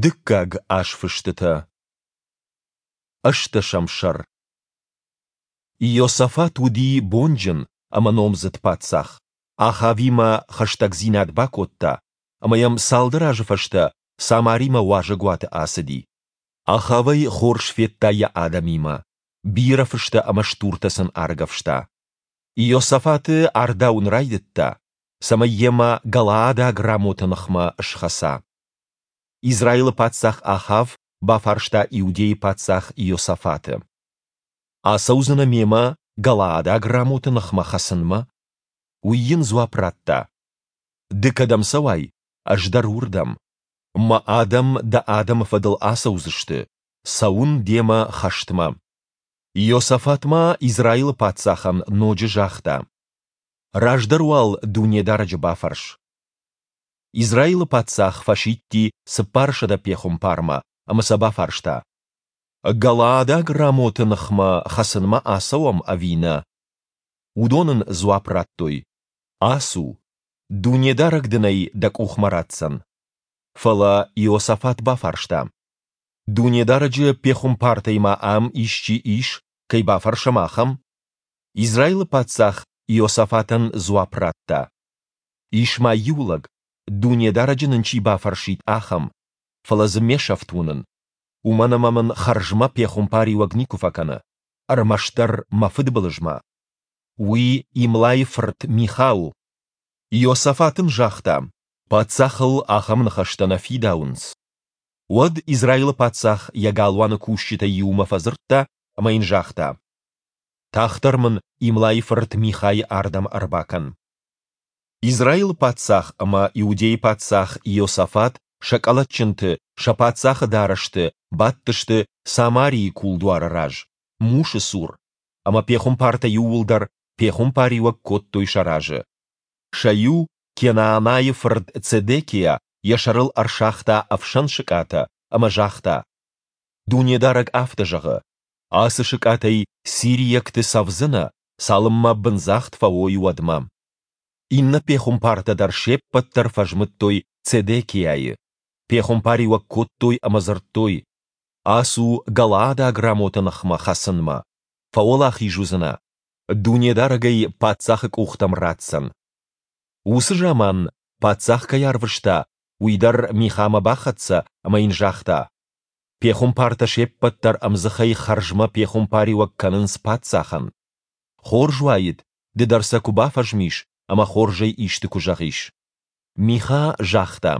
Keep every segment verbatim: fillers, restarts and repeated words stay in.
Дыккаг азфыстытӕ. Ӕстдӕсӕм сӕр. Иосафат уыди бонджын ӕмӕ номдзыд паддзах. Ахавимӕ хӕстӕгдзинад бакодта, ӕмӕ йӕм цалдӕр азы фӕстӕ Самаримӕ уазӕгуаты ацыди. Ахав ӕй хорз федта йӕ адӕмимӕ, бирӕ фыстӕ ӕмӕ стуртӕ сын аргӕвста. Иосафаты ардауын райдыдта, цӕмӕй йемӕ галаадаг Рамоты ныхмӕ схӕца. Израилы паддзах Ахав бафарста Иудӕйы паддзах Иосафаты: Ацӕудзынӕ мемӕ галаадаг Рамоты ныхмӕ хӕцынмӕ? Уый йын дзуапп радта: Ды кӕдӕм цӕуай, ӕз дӕр уырдӕм. Мӕ адӕм дӕ адӕмы фӕдыл ацӕудзысты, цӕуын демӕ хӕстмӕ. Иосафат ма Израилы паддзахӕн ноджы загъта: Раздӕр уал Дунедарӕджы бафӕрс. Израилы паддзах фӕсидти цыппарсӕдӕ пехуымпармӕ ӕмӕ сӕ бафарста: Галаадаг Рамоты ныхмӕ хӕцынмӕ ацӕуӕм ӕви нӕ? Уыдон ын дзуапп радтой: Ацу, Дунедарӕг дын ӕй дӕ къухмӕ ратдзӕн. Фӕлӕ Иосафат бафарста: Дунедарӕджы пехуымпартӕй ма ам исчи ис, кӕй бафӕрсӕм, ахӕм? Израилы паддзах Иосафатӕн дзуапп радта: Ис ма иу лӕг, Дунедарӕджы нын чи бафӕрсид, ахӕм, фӕлӕ дзы ме сӕфт уынын, уымӕн ӕмӕ мын хӕрзмӕ пехуымпариуӕг никуы фӕкӕны, ӕрмӕстдӕр мӕ фыдбылызмӕ. Уый Имлайы фырт Миха у. Иосафат ын загъта: Паддзахыл ахӕм ныхӕстӕ нӕ фидауынц. Уӕд Израилы паддзах йӕ галуаны кусджытӕй иумӕ фӕдзырдта ӕмӕ йын загъта: Тагъддӕр мын Имлайы фырт Михайы ардӕм ӕрбакӕн. Израилы паддзах ӕмӕ Иудӕйы паддзах Иосафат сӕ къӕлӕтджынты, сӕ паддзахы дарӕсты бадтысты Самарийы кулдуары раз, мусы цур, ӕмӕ пехуымпартӕ иууылдӕр пехуымпариуӕг кодтой сӕ разы. Сӕ иу, Кенаанайы фырт Цедекиа, йӕ сӕрыл ӕрсагъта ӕфсӕн сыкъатӕ ӕмӕ загъта: Дунедарӕг афтӕ зӕгъы: Ацы сыкъатӕй сириӕгты цӕвдзынӕ, цалынмӕ бындзагъд фӕуой, уӕдмӕ. Иннӕ пехуымпартӕ дӕр се ппӕт дӕр фӕзмыдтой Цедекиайы. Пехуымпариуӕг кодтой ӕмӕ дзырдтой: Ацу галаадаг Рамоты ныхмӕ хӕцынмӕ, фӕуӕлахиз уыдзынӕ, Дунедарӕг ӕй паддзахы къухтӕм ратдзӕн. Уыцы заман, паддзах кӕй арвыста, уый дӕр Михамӕ бахӕццӕ ӕмӕ йын загъта: Пехуымпартӕ се ппӕт дӕр ӕмдзыхӕй хӕрзмӕ пехуымпариуӕг кӕнынц паддзахӕн. Хорз уаид, ды дӕр сӕ куы бафӕзмис ӕмӕ хорзӕй исты куы зӕгъис. Миха загъта: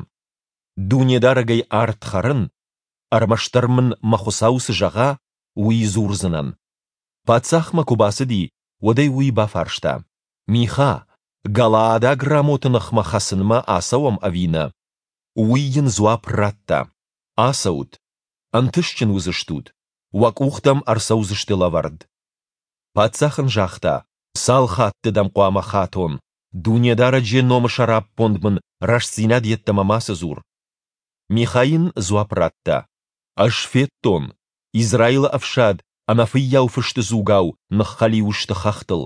Дунедарӕгӕй ард хӕрын, ӕрмӕстдӕр мын мӕ Хуыцау цы зӕгъа, уый дзурдзынӕн. Паддзахмӕ куы бацыди, уӕд ӕй уый бафарста: Миха, галаадаг Рамоты ныхмӕ хӕцынмӕ ацӕуӕм ӕви нӕ? Уый йын дзуапп радта: Ацӕут, ӕнтыстджын уыдзыстут, уӕ къухтӕм ӕрцӕудзысты лӕвӕрд. Паддзах ын загъта: Цал хатты дӕм хъуамӕ хатон, Дунедарӕджы номы сӕраппонд мын рӕстдзинад йеддӕмӕ мацы дзур. Миха йын дзуапп радта: Ӕз федтон, Израилы ӕфсад ӕнӕфыййау фысты дзугау ныххӕлиу сты хӕхтыл,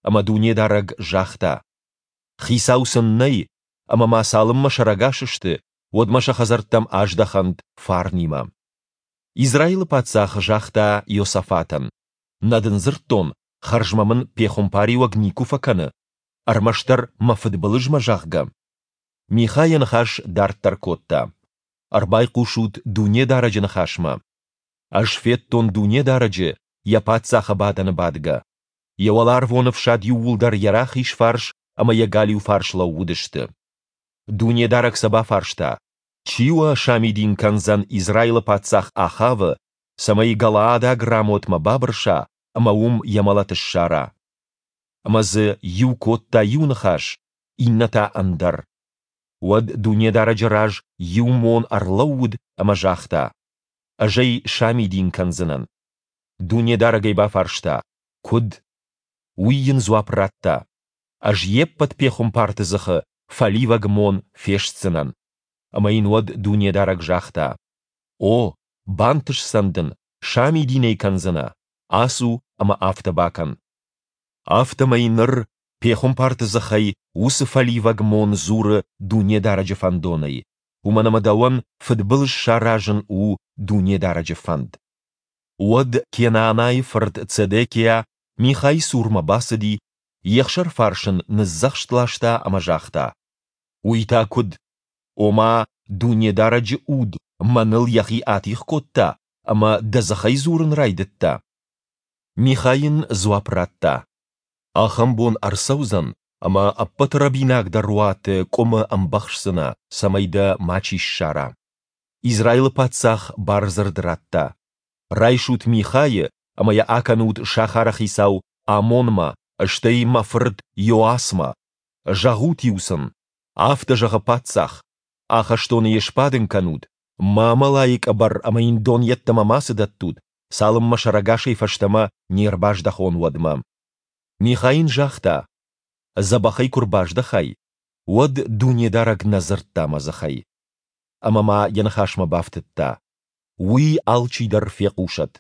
ӕмӕ Дунедарӕг загъта: Хицау сын нӕй, ӕмӕ ма цалынмӕ сӕрӕгас сты, уӕдмӕ сӕ хӕдзӕрттӕм аздӕхӕнт фарнимӕ. Израилы паддзах загъта Иосафатӕн: Нӕ дын дзырдтон, хӕрзмӕ мын пехуымпариуӕг никуы фӕкӕны, ӕрмӕстдӕр мӕ фыдбылызмӕ, зӕгъгӕ? Миха йӕ ныхас дарддӕр кодта: Ӕрбайхъусут Дунедарӕджы ныхасмӕ. Ӕз федтон Дунедарӕджы йӕ паддзахы бадӕны бадгӕ. Йӕ уӕларвон ӕфсад иууылдӕр йӕ рахиз фарс ӕмӕ йӕ галиу фарс лӕууыдысты. Дунедарӕг сӕ бафарста: Чи уӕ самидин кӕндзӕн Израилы паддзах Ахавы, цӕмӕй галаадаг Рамотмӕ бабырса ӕмӕ уым йӕ мӕлӕт ссара? Ӕмӕ дзы иу кодта иу ныхас, иннӕ та ӕндӕр. Уӕд Дунедарӕджы раз иу мон ӕрлӕууыд ӕмӕ загъта: Ӕз ӕй самидин кӕндзынӕн. Дунедарӕг ӕй бафарста: Куыд? Уый йын дзуапп радта: Ӕз йе ппӕт пехуымпарты дзыхы фӕливӕг мон фестдзынӕн. Ӕмӕ йын уӕд Дунедарӕг загъта: О, бантысдзӕн дын, самидин ӕй кӕндзынӕ, ацу ӕмӕ афтӕ бакӕн. Афтӕмӕй ныр пехуымпарты дзыхӕй уыцы фӕливӕг мон дзуры Дунедарӕджы фӕндонӕй, уымӕн ӕмӕ дӕуӕн фыдбылыз саразын у Дунедарӕджы фӕнд. Уӕд Кенаанайы фырт Цедекиа Михайы цурмӕ бацыди, йе хсӕрфарс ын ныдздзӕхст ласта ӕмӕ загъта: Уый та куыд? Ома Дунедарӕджы Уд мӕныл йӕхи атигъ кодта ӕмӕ дӕ дзыхӕй дзурын райдыдта? Миха йын дзуапп радта: Ахӕм бон ӕрцӕудзӕн, ӕмӕ ӕппӕты рӕбинагдӕр уаты къуымы ӕмбӕхсдзынӕ, цӕмӕй дӕ мачи ссара. Израилы паддзах бардзырд радта: Райсут Михайы ӕмӕ йӕ акӕнут сахары хицау Амонмӕ, стӕй мӕ фырт Йоасмӕ. Зӕгъут-иу сын: Афтӕ зӕгъы паддзах: Ахӕстоны йӕ сбадын кӕнут, мамӕлайы къӕбӕр ӕмӕ йын дон йеддӕмӕ мацы дӕттут, цалынмӕ сӕрӕгасӕй фӕстӕмӕ не рбаздӕхон, уӕдмӕ. Миха йын загъта: Дзӕбӕхӕй куы рбаздӕхай, уӕд Дунедарӕг нӕ дзырдта мӕ дзыхӕй. Ӕмӕ ма йӕ ныхасмӕ бафтыдта: Уый алчидӕр фехъусӕд.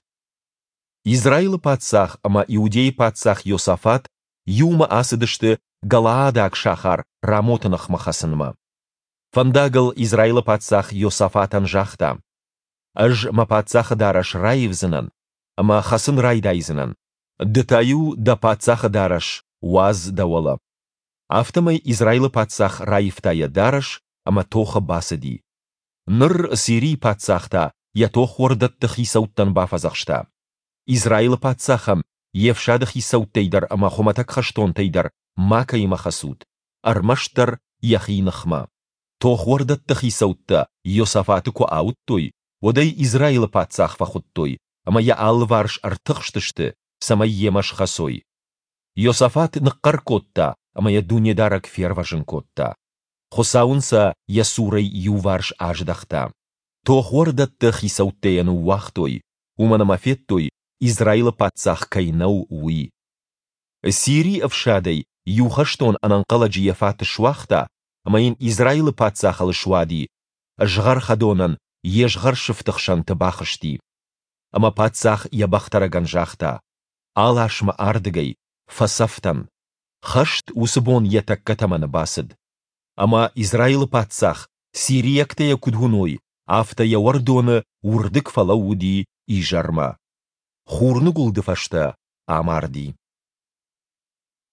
Израилы паддзах ӕмӕ Иудӕйы паддзах Иосафат иумӕ ацыдысты галаадаг сахар Рамоты ныхмӕ хӕцынмӕ. Фӕндагыл Израилы паддзах Иосафатӕн загъта: Ӕз мӕ паддзахы дарӕс раивдзынӕн ӕмӕ хӕцын райдайдзынӕн, ды та-иу дӕ паддзахы дарӕс уадз дӕ уӕлӕ. Афтӕмӕй Израилы паддзах раивта йӕ дарӕс ӕмӕ тохы бацыди. Ныр Сирийы паддзах та йӕ тохуӕрдӕтты хицӕуттӕн бафӕдзӕхста: Израилы паддзахӕн йе фсады хицӕуттӕй дӕр ӕмӕ хуымӕтӕг хӕстонтӕй дӕр макӕимӕ хӕцут, ӕрмӕстдӕр йӕхи ныхмӕ. Тохуӕрдӕтты хицӕуттӕ Иосафаты куы ауыдтой, уӕд ӕй Израилы паддзах фӕхуыдтой ӕмӕ йӕ алыварс ӕртыхстысты, цӕмӕй йемӕ схӕцой. Иосафат ныхъхъӕр кодта, ӕмӕ йӕ Дунедарӕг фервӕзын кодта. Хуыцау ын сӕ йӕ цурӕй иуварс аздӕхта. Тохуӕрдӕтты хицӕуттӕ йӕ ныууагътой, уымӕн ӕмӕ федтой, Израилы паддзах кӕй нӕу, уый. Сирийы ӕфсадӕй иу хӕстон ӕнӕнхъӕлӕджы йӕ фат суагъта, ӕмӕ йын Израилы паддзахыл суади, згъӕрхӕдонӕн йе згъӕрсыфты хсӕнты бахызти. Ӕмӕ паддзах йӕ бӕхтӕрӕгӕн загъта: Алас мӕ ардыгӕй, фӕцӕф дӕн. Хӕст уыцы бон йӕ тӕккӕ тӕмӕны бацыд. Ӕмӕ Израилы паддзах, сириӕгтӕ йӕ куыд уыной, афтӕ йӕ уӕрдоны уырдыг фӕлӕууыди изӕрмӕ. Хурныгуылды фӕстӕ амарди.